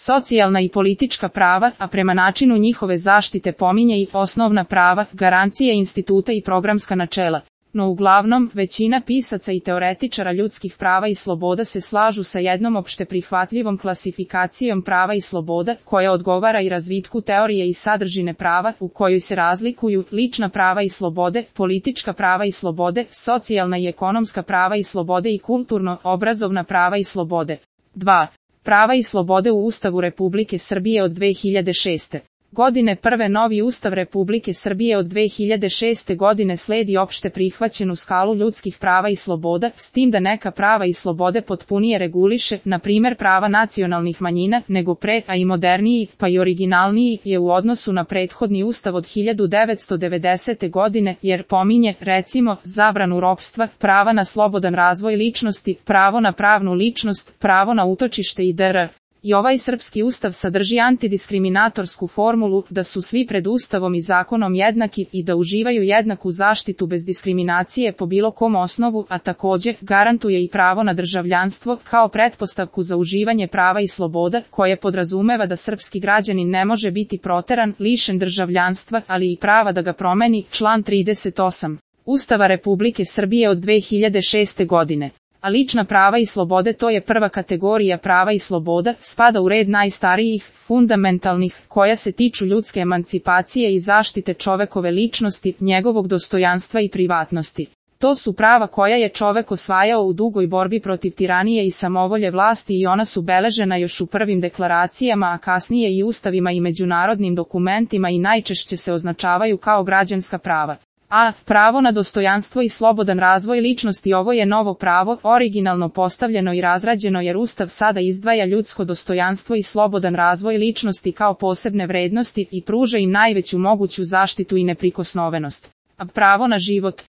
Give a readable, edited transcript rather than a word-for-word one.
socijalna i politička prava, a prema načinu njihove zaštite pominje i osnovna prava, garancije instituta i programska načela. No uglavnom, većina pisaca i teoretičara ljudskih prava i sloboda se slažu sa jednom opšte prihvatljivom klasifikacijom prava i sloboda, koja odgovara i razvitku teorije i sadržine prava, u kojoj se razlikuju lična prava i slobode, politička prava i slobode, socijalna i ekonomska prava i slobode i kulturno-obrazovna prava i slobode. 2. Prava i slobode u Ustavu Republike Srbije od 2006. godine. Novi Ustav Republike Srbije od 2006. godine sledi opšte prihvaćenu skalu ljudskih prava i sloboda, s tim da neka prava i slobode potpunije reguliše, na primjer prava nacionalnih manjina, nego pre, a i moderniji, pa i originalniji je u odnosu na prethodni Ustav od 1990. godine, jer pominje, recimo, zabranu ropstva, prava na slobodan razvoj ličnosti, pravo na pravnu ličnost, pravo na utočište i dr. I ovaj srpski ustav sadrži antidiskriminatorsku formulu da su svi pred Ustavom i zakonom jednaki i da uživaju jednaku zaštitu bez diskriminacije po bilo kom osnovu, a takođe garantuje i pravo na državljanstvo kao pretpostavku za uživanje prava i sloboda, koje podrazumeva da srpski građanin ne može biti proteran, lišen državljanstva, ali i prava da ga promeni, član 38. Ustava Republike Srbije od 2006. godine. A lična prava i slobode, to je prva kategorija prava i sloboda, spada u red najstarijih, fundamentalnih, koja se tiču ljudske emancipacije i zaštite čovekove ličnosti, njegovog dostojanstva i privatnosti. To su prava koja je čovek osvajao u dugoj borbi protiv tiranije i samovolje vlasti i ona su beležena još u prvim deklaracijama, a kasnije i ustavima i međunarodnim dokumentima i najčešće se označavaju kao građanska prava. A. Pravo na dostojanstvo i slobodan razvoj ličnosti. Ovo je novo pravo, originalno postavljeno i razrađeno jer Ustav sada izdvaja ljudsko dostojanstvo i slobodan razvoj ličnosti kao posebne vrednosti i pruža im najveću moguću zaštitu i neprikosnovenost. A. Pravo na život.